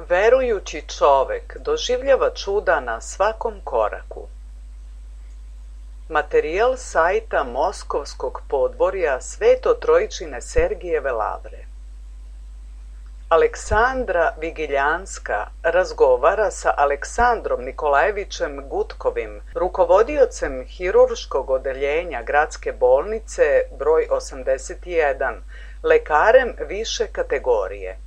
Verujući čovek doživljava čuda na svakom koraku. Materijal sajta Moskovskog podvorja Sveto-Trojičine Sergijeve lavre. Aleksandra Vigiljanska razgovara sa Aleksandrom Nikolajevićem Gutkovim, rukovodiocem hirurškog odeljenja gradske bolnice broj 81, lekarem više kategorije.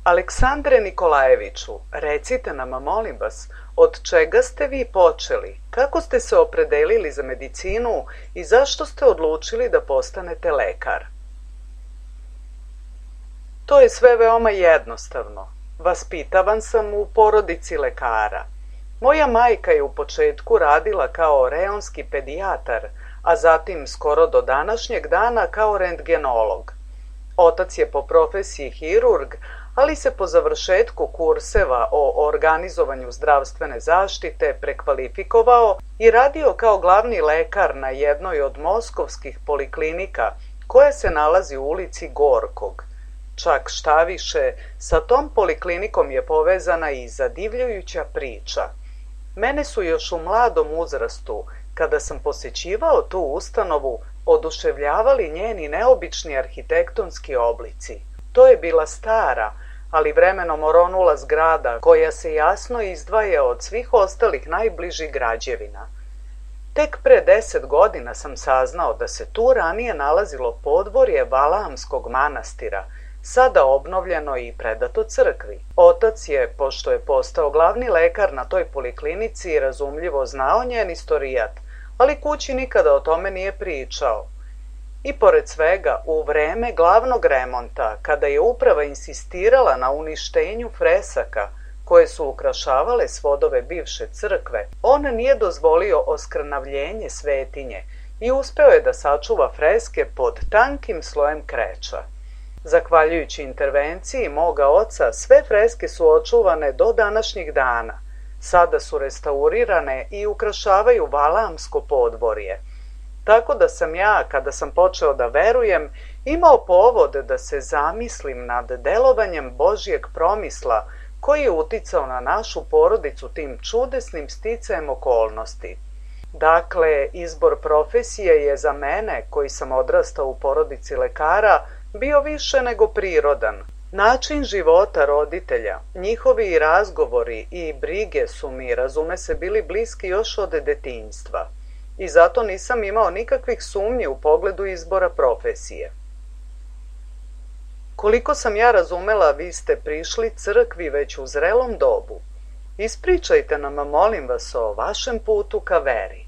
Aleksandre Nikolajeviću, recite nam, molim vas, od čega ste vi počeli, kako ste se opredelili za medicinu i zašto ste odlučili da postanete lekar? To je sve veoma jednostavno. Vaspitavan sam u porodici lekara. Moja majka je u početku radila kao reonski pedijatar, a zatim skoro do današnjeg dana kao rentgenolog. Otac je po profesiji hirurg, ali se po završetku kurseva o organizovanju zdravstvene zaštite prekvalifikovao i radio kao glavni lekar na jednoj od moskovskih poliklinika koja se nalazi u ulici Gorkog. Čak šta više, sa tom poliklinikom je povezana i zadivljujuća priča. Mene su još u mladom uzrastu, kada sam posećivao tu ustanovu, oduševljavali njeni neobični arhitektonski oblici. To je bila stara, ali vremenom oronula zgrada koja se jasno izdvaja od svih ostalih najbližih građevina. Tek pre 10 godina sam saznao da se tu ranije nalazilo podvorje Valaamskog manastira, sada obnovljeno i predato crkvi. Otac je, pošto je postao glavni lekar na toj poliklinici, razumljivo znao njen istorijat, ali kući nikada o tome nije pričao. I pored svega, u vreme glavnog remonta, kada je uprava insistirala na uništenju fresaka koje su ukrašavale svodove bivše crkve, on nije dozvolio oskrnavljenje svetinje i uspeo je da sačuva freske pod tankim slojem kreča. Zahvaljujući intervenciji moga oca, sve freske su očuvane do današnjih dana. Sada su restaurirane i ukrašavaju Valaamsko podvorje. Tako da sam ja, kada sam počeo da verujem, imao povod da se zamislim nad delovanjem Božjeg promisla koji je uticao na našu porodicu tim čudesnim sticajem okolnosti. Dakle, izbor profesije je za mene, koji sam odrastao u porodici lekara, bio više nego prirodan. Način života roditelja, njihovi razgovori i brige su mi, razume se, bili bliski još od detinjstva. I zato nisam imao nikakvih sumnji u pogledu izbora profesije. Koliko sam ja razumela, vi ste prišli crkvi već u zrelom dobu. Ispričajte nam, molim vas, o vašem putu ka veri.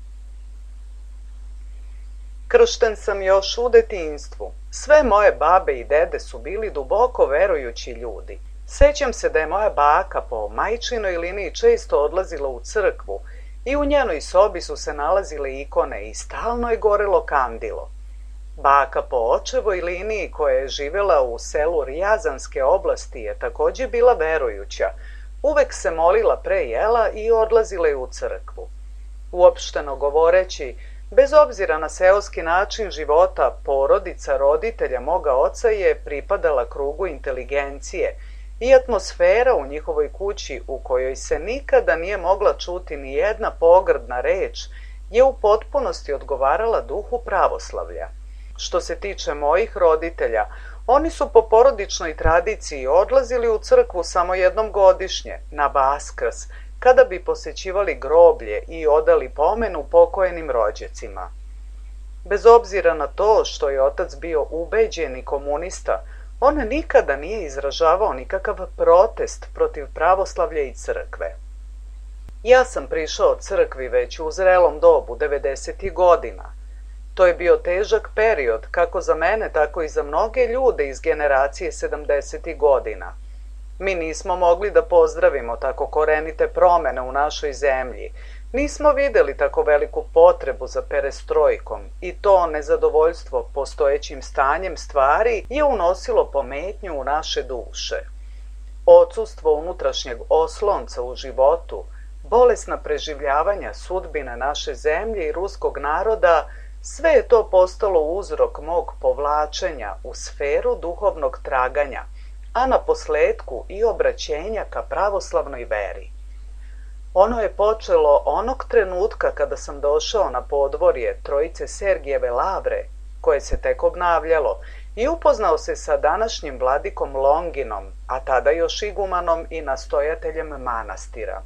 Kršten sam još u detinjstvu. Sve moje babe i dede su bili duboko verujući ljudi. Sećam se da je moja baka po majčinoj liniji često odlazila u crkvu i u njenoj sobi su se nalazile ikone i stalno je gorelo kandilo. Baka po očevoj liniji, koja je živela u selu Rijazanske oblasti, je takođe bila verujuća. Uvek se molila pre jela i odlazila je u crkvu. Uopšteno govoreći, bez obzira na seoski način života, porodica roditelja moga oca je pripadala krugu inteligencije i atmosfera u njihovoj kući, u kojoj se nikada nije mogla čuti ni jedna pogrdna reč, je u potpunosti odgovarala duhu pravoslavlja. Što se tiče mojih roditelja, oni su po porodičnoj tradiciji odlazili u crkvu samo jednom godišnje, na Vaskrs, kada bi posećivali groblje i odali pomenu pokojnim rođacima. Bez obzira na to što je otac bio ubeđeni komunista, on nikada nije izražavao nikakav protest protiv pravoslavlja i crkve. Ja sam prišao crkvi već u zrelom dobu, 90. godina. To je bio težak period, kako za mene, tako i za mnoge ljude iz generacije 70. godina. Mi nismo mogli da pozdravimo tako korenite promene u našoj zemlji. Nismo videli tako veliku potrebu za perestrojkom i to nezadovoljstvo postojećim stanjem stvari je unosilo pometnju u naše duše. Odsustvo unutrašnjeg oslonca u životu, bolesna preživljavanja sudbine naše zemlje i ruskog naroda, sve je to postalo uzrok mog povlačenja u sferu duhovnog traganja, a na posledku i obraćenja ka pravoslavnoj veri. Ono je počelo onog trenutka kada sam došao na podvorje Trojice Sergijeve lavre, koje se tek obnavljalo, i upoznao se sa današnjim vladikom Longinom, a tada još igumanom i nastojateljem manastira.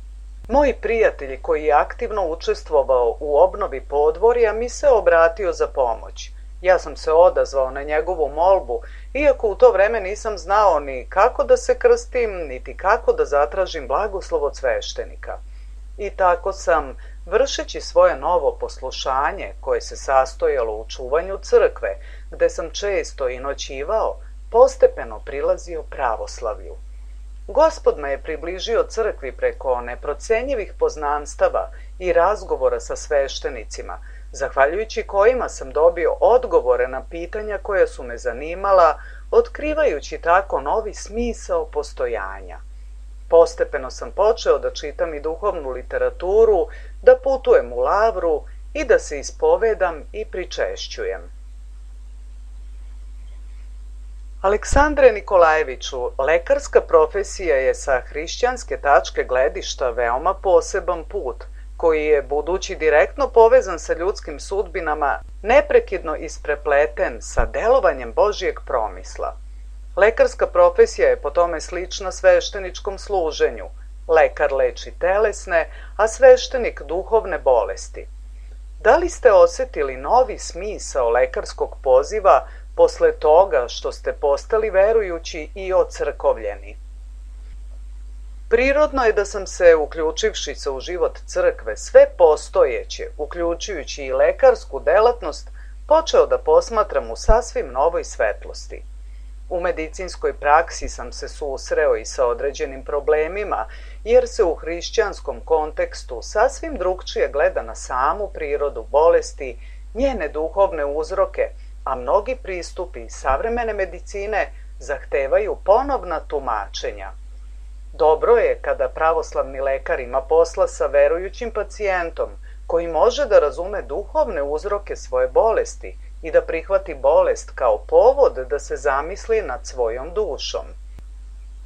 Moj prijatelj koji je aktivno učestvovao u obnovi podvorja mi se obratio za pomoć. Ja sam se odazvao na njegovu molbu, iako u to vreme nisam znao ni kako da se krstim, niti kako da zatražim blagoslov od sveštenika. I tako sam, vršeći svoje novo poslušanje, koje se sastojalo u čuvanju crkve, gde sam često i noćivao, postepeno prilazio pravoslavlju. Gospod me je približio crkvi preko neprocenjivih poznanstava i razgovora sa sveštenicima, zahvaljujući kojima sam dobio odgovore na pitanja koja su me zanimala, otkrivajući tako novi smisao postojanja. Postepeno sam počeo da čitam i duhovnu literaturu, da putujem u lavru i da se ispovedam i pričešćujem. Aleksandre Nikolajeviću, lekarska profesija je sa hrišćanske tačke gledišta veoma poseban put, koji je, budući direktno povezan sa ljudskim sudbinama, neprekidno isprepleten sa delovanjem Božijeg promisla. Lekarska profesija je po tome slična svešteničkom služenju. Lekar leči telesne, a sveštenik duhovne bolesti. Da li ste osetili novi smisao lekarskog poziva posle toga što ste postali verujući i ocrkovljeni? Prirodno je da sam se, uključivši se u život crkve, sve postojeće, uključujući i lekarsku delatnost, počeo da posmatram u sasvim novoj svetlosti. U medicinskoj praksi sam se susreo i sa određenim problemima, jer se u hrišćanskom kontekstu sasvim drugčije gleda na samu prirodu bolesti, njene duhovne uzroke, a mnogi pristupi savremene medicine zahtevaju ponovna tumačenja. Dobro je kada pravoslavni lekar ima posla sa verujućim pacijentom, koji može da razume duhovne uzroke svoje bolesti i da prihvati bolest kao povod da se zamisli nad svojom dušom.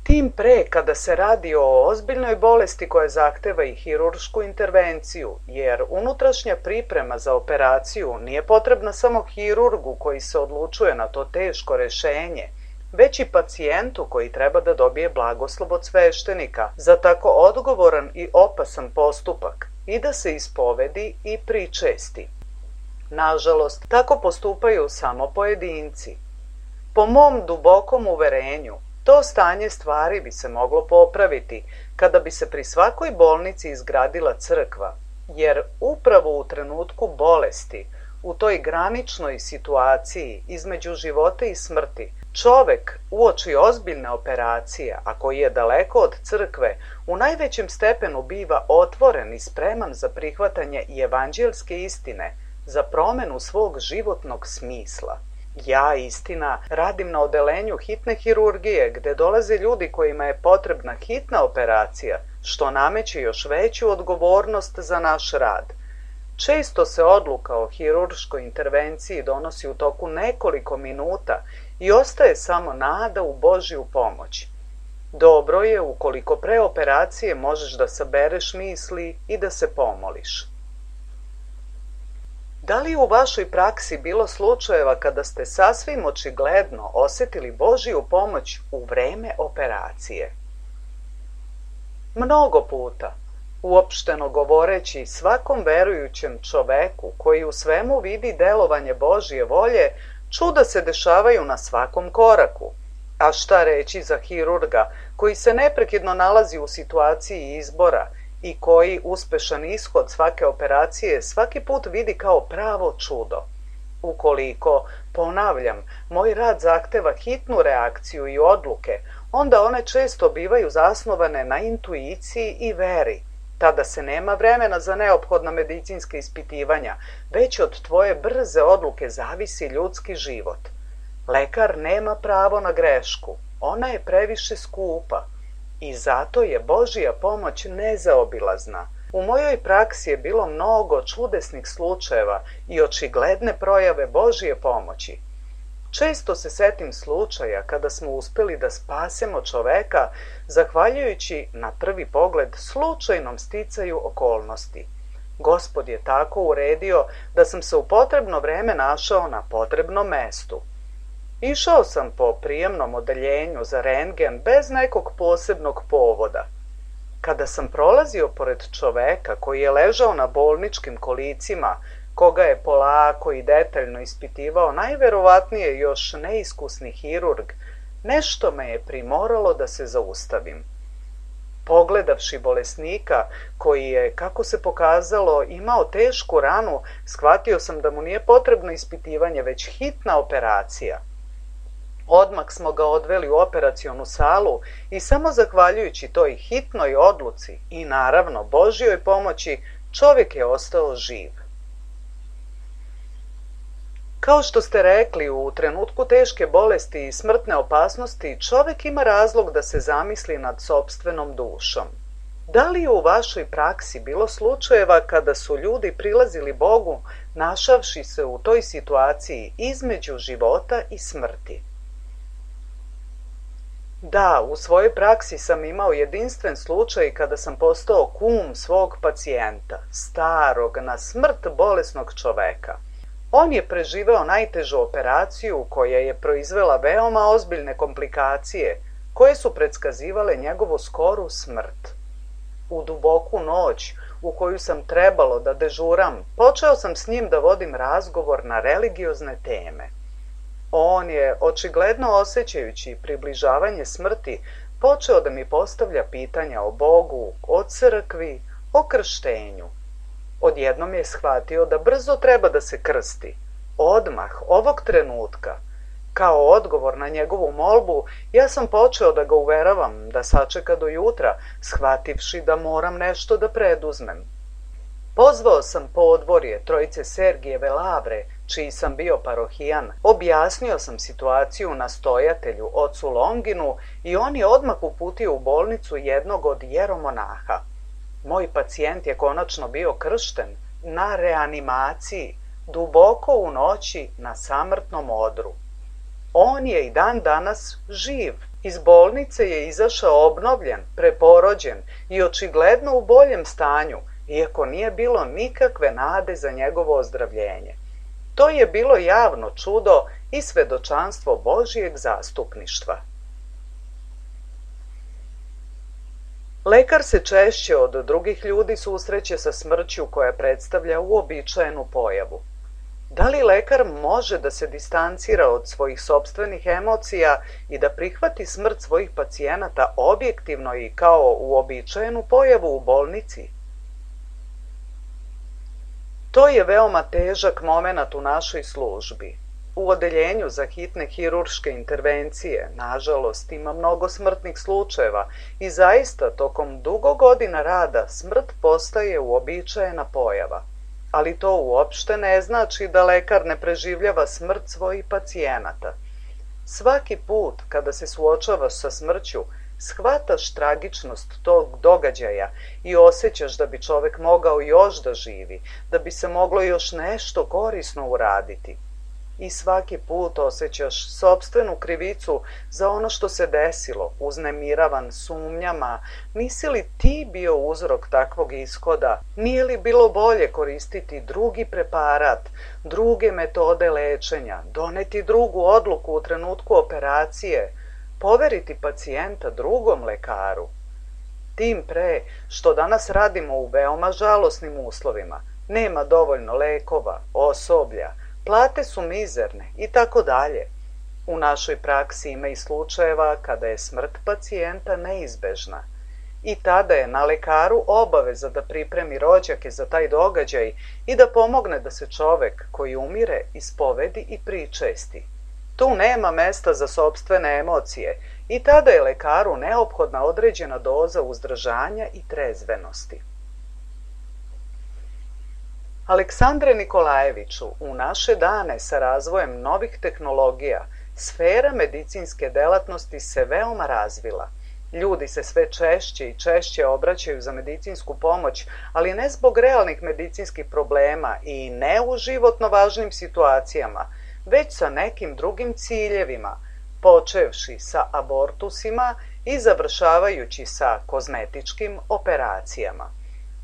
Tim pre kada se radi o ozbiljnoj bolesti koja zahteva i hiruršku intervenciju, jer unutrašnja priprema za operaciju nije potrebna samo hirurgu koji se odlučuje na to teško rešenje, već i pacijentu koji treba da dobije blagoslov od sveštenika za tako odgovoran i opasan postupak i da se ispovedi i pričesti. Nažalost, tako postupaju samo pojedinci. Po mom dubokom uverenju, to stanje stvari bi se moglo popraviti kada bi se pri svakoj bolnici izgradila crkva, jer upravo u trenutku bolesti, u toj graničnoj situaciji između života i smrti, čovek uoči ozbiljne operacije, a koji je daleko od crkve, u najvećem stepenu biva otvoren i spreman za prihvatanje i evanđelske istine, za promenu svog životnog smisla. Ja, istina, radim na odelenju hitne hirurgije, gde dolaze ljudi kojima je potrebna hitna operacija, što nameće još veću odgovornost za naš rad. Često se odluka o hirurškoj intervenciji donosi u toku nekoliko minuta i ostaje samo nada u Božju pomoć. Dobro je ukoliko pre operacije možeš da sabereš misli i da se pomoliš. Da li u vašoj praksi bilo slučajeva kada ste sasvim očigledno osetili Božju pomoć u vreme operacije? Mnogo puta, uopšteno govoreći, svakom verujućem čoveku koji u svemu vidi delovanje Božje volje, čuda se dešavaju na svakom koraku. A šta reći za hirurga koji se neprekidno nalazi u situaciji izbora i koji uspešan ishod svake operacije svaki put vidi kao pravo čudo. Ukoliko, ponavljam, moj rad zahteva hitnu reakciju i odluke, onda one često bivaju zasnovane na intuiciji i veri. Tada se nema vremena za neophodna medicinska ispitivanja, već od tvoje brze odluke zavisi ljudski život. Lekar nema pravo na grešku, ona je previše skupa. I zato je Božja pomoć nezaobilazna. U mojoj praksi je bilo mnogo čudesnih slučajeva i očigledne projave Božje pomoći. Često se setim slučaja kada smo uspeli da spasemo čoveka zahvaljujući na prvi pogled slučajnom sticaju okolnosti. Gospod je tako uredio da sam se u potrebno vreme našao na potrebnom mestu. Išao sam po prijemnom odeljenju za rentgen bez nekog posebnog povoda. Kada sam prolazio pored čoveka koji je ležao na bolničkim kolicima, koga je polako i detaljno ispitivao najverovatnije još neiskusni hirurg, nešto me je primoralo da se zaustavim. Pogledavši bolesnika, koji je, kako se pokazalo, imao tešku ranu, shvatio sam da mu nije potrebno ispitivanje, već hitna operacija. Odmah smo ga odveli u operacionu salu i samo zahvaljujući toj hitnoj odluci i naravno Božjoj pomoći, čovjek je ostao živ. Kao što ste rekli, u trenutku teške bolesti i smrtne opasnosti čovjek ima razlog da se zamisli nad sopstvenom dušom. Da li je u vašoj praksi bilo slučajeva kada su ljudi prilazili Bogu našavši se u toj situaciji između života i smrti? Da, u svojoj praksi sam imao jedinstven slučaj kada sam postao kum svog pacijenta, starog, na smrt bolesnog čoveka. On je preživeo najtežu operaciju koja je proizvela veoma ozbiljne komplikacije koje su predskazivale njegovu skoru smrt. U duboku noć u koju sam trebalo da dežuram, počeo sam s njim da vodim razgovor na religiozne teme. On je, očigledno osjećajući približavanje smrti, počeo da mi postavlja pitanja o Bogu, o crkvi, o krštenju. Odjednom je shvatio da brzo treba da se krsti. Odmah, ovog trenutka. Kao odgovor na njegovu molbu, ja sam počeo da ga uveravam da sačeka do jutra, shvativši da moram nešto da preduzmem. Pozvao sam podvorje trojice Sergijeve Lavre, čiji sam bio parohijan, objasnio sam situaciju nastojatelju, ocu Longinu, i on je odmah uputio u bolnicu jednog od jeromonaha. Moj pacijent je konačno bio kršten na reanimaciji, duboko u noći na samrtnom odru. On je i dan danas živ. Iz bolnice je izašao obnovljen, preporođen i očigledno u boljem stanju, iako nije bilo nikakve nade za njegovo ozdravljenje. To je bilo javno čudo i svedočanstvo Božijeg zastupništva. Lekar se češće od drugih ljudi susreće sa smrću koja predstavlja uobičajenu pojavu. Da li lekar može da se distancira od svojih sopstvenih emocija i da prihvati smrt svojih pacijenata objektivno i kao uobičajenu pojavu u bolnici? To je veoma težak momenat u našoj službi. U odeljenju za hitne hirurške intervencije, nažalost, ima mnogo smrtnih slučajeva i zaista tokom dugo godina rada smrt postaje uobičajena pojava. Ali to uopšte ne znači da lekar ne preživljava smrt svojih pacijenata. Svaki put kada se suočavaš sa smrću, shvataš tragičnost tog događaja i osjećaš da bi čovek mogao još da živi, da bi se moglo još nešto korisno uraditi. I svaki put osjećaš sopstvenu krivicu za ono što se desilo, uznemiravan sumnjama, nisi li ti bio uzrok takvog ishoda, nije li bilo bolje koristiti drugi preparat, druge metode lečenja, doneti drugu odluku u trenutku operacije, poveriti pacijenta drugom lekaru. Tim pre što danas radimo u veoma žalosnim uslovima, nema dovoljno lekova, osoblja, plate su mizerne i tako dalje. U našoj praksi ima i slučajeva kada je smrt pacijenta neizbežna. I tada je na lekaru obaveza da pripremi rođake za taj događaj i da pomogne da se čovek koji umire ispovedi i pričesti. Tu nema mesta za sopstvene emocije i tada je lekaru neophodna određena doza uzdržanja i trezvenosti. Aleksandre Nikolajeviću, u naše dane sa razvojem novih tehnologija, sfera medicinske delatnosti se veoma razvila. Ljudi se sve češće i češće obraćaju za medicinsku pomoć, ali ne zbog realnih medicinskih problema i ne u životno važnim situacijama, već sa nekim drugim ciljevima, počevši sa abortusima i završavajući sa kozmetičkim operacijama.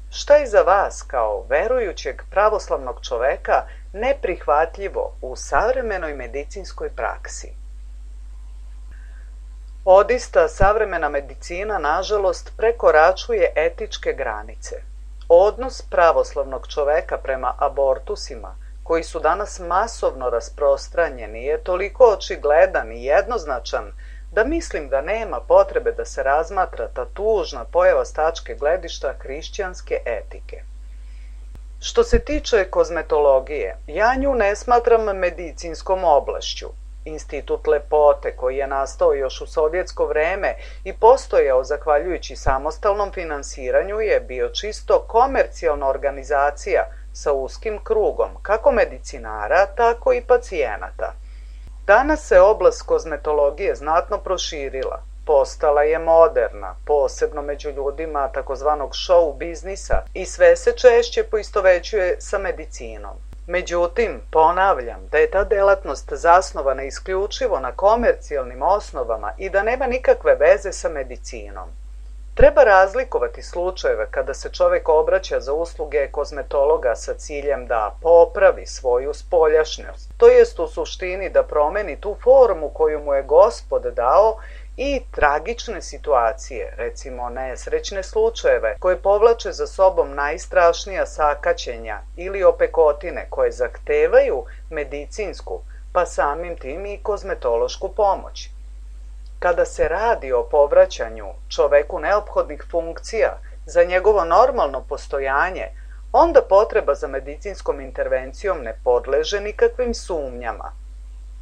Šta je za vas kao verujućeg pravoslavnog čoveka neprihvatljivo u savremenoj medicinskoj praksi? Odista savremena medicina, nažalost, prekoračuje etičke granice. Odnos pravoslavnog čoveka prema abortusima, koji su danas masovno rasprostranjeni, je toliko očigledan i jednoznačan da mislim da nema potrebe da se razmatra ta tužna pojava s tačke gledišta hrišćanske etike. Što se tiče kozmetologije, ja nju ne smatram medicinskom oblašću. Institut lepote, koji je nastao još u sovjetsko vreme i postojao zahvaljujući samostalnom finansiranju, je bio čisto komercijalna organizacija sa uskim krugom, kako medicinara, tako i pacijenata. Danas se oblast kozmetologije znatno proširila, postala je moderna, posebno među ljudima takozvanog show biznisa, i sve se češće poistovećuje sa medicinom. Međutim, ponavljam da je ta delatnost zasnovana isključivo na komercijalnim osnovama i da nema nikakve veze sa medicinom. Treba razlikovati slučajeve kada se čovek obraća za usluge kozmetologa sa ciljem da popravi svoju spoljašnjost, to jest u suštini da promeni tu formu koju mu je Gospod dao, i tragične situacije, recimo nesrećne slučajeve koje povlače za sobom najstrašnija sakaćenja ili opekotine koje zahtevaju medicinsku, pa samim tim i kozmetološku pomoć. Kada se radi o povraćanju čoveku neophodnih funkcija za njegovo normalno postojanje, onda potreba za medicinskom intervencijom ne podleže nikakvim sumnjama.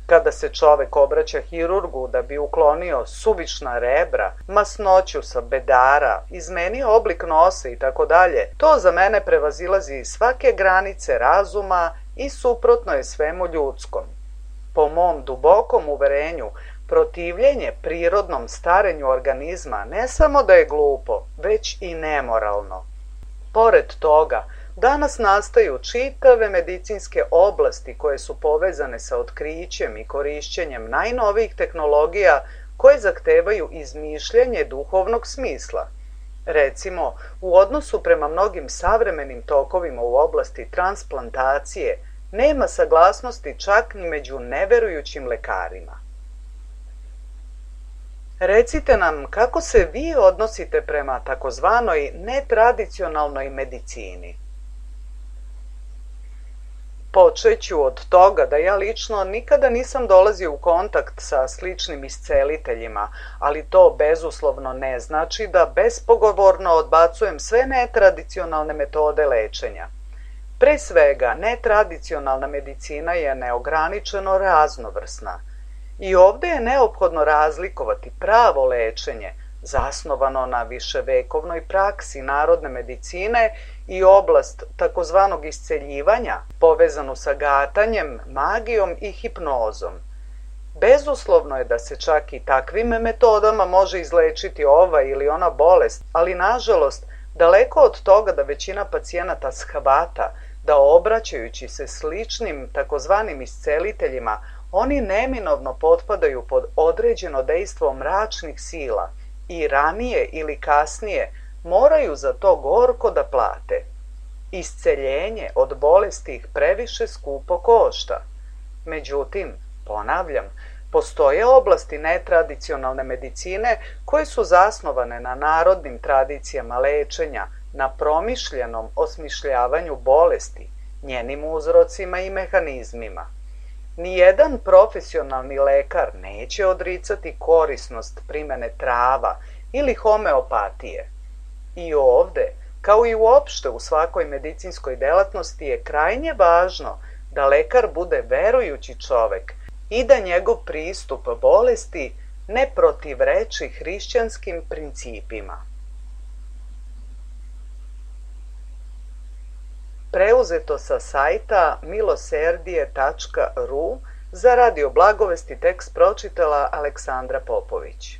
Kada se čovek obraća hirurgu da bi uklonio suvišna rebra, masnoću sa bedara, izmenio oblik nosa i tako dalje, to za mene prevazilazi svake granice razuma i suprotno je svemu ljudskom. Po mom dubokom uverenju, protivljenje prirodnom starenju organizma ne samo da je glupo, već i nemoralno. Pored toga, danas nastaju čitave medicinske oblasti koje su povezane sa otkrićem i korišćenjem najnovijih tehnologija koje zahtevaju izmišljanje duhovnog smisla. Recimo, u odnosu prema mnogim savremenim tokovima u oblasti transplantacije nema saglasnosti čak ni među neverujućim lekarima. Recite nam kako se vi odnosite prema takozvanoj netradicionalnoj medicini. Počeću od toga da ja lično nikada nisam dolazio u kontakt sa sličnim isceliteljima, ali to bezuslovno ne znači da bespogovorno odbacujem sve netradicionalne metode lečenja. Pre svega, netradicionalna medicina je neograničeno raznovrsna. I ovde je neophodno razlikovati pravo lečenje, zasnovano na viševekovnoj praksi narodne medicine, i oblast takozvanog isceljivanja, povezanu sa gatanjem, magijom i hipnozom. Bezuslovno je da se čak i takvim metodama može izlečiti ova ili ona bolest, ali nažalost, daleko od toga da većina pacijenata shvata da obraćajući se sličnim takozvanim isceliteljima, oni neminovno potpadaju pod određeno dejstvo mračnih sila i ranije ili kasnije moraju za to gorko da plate. Isceljenje od bolesti ih previše skupo košta. Međutim, ponavljam, postoje oblasti netradicionalne medicine koje su zasnovane na narodnim tradicijama lečenja, na promišljenom osmišljavanju bolesti, njenim uzrocima i mehanizmima. Nijedan profesionalni lekar neće odricati korisnost primene trava ili homeopatije. I ovde, kao i uopšte u svakoj medicinskoj delatnosti, je krajnje važno da lekar bude verujući čovek i da njegov pristup bolesti ne protivreči hrišćanskim principima. Preuzeto sa sajta miloserdije.ru, za Radio Blagovesti tekst pročitala Aleksandra Popović.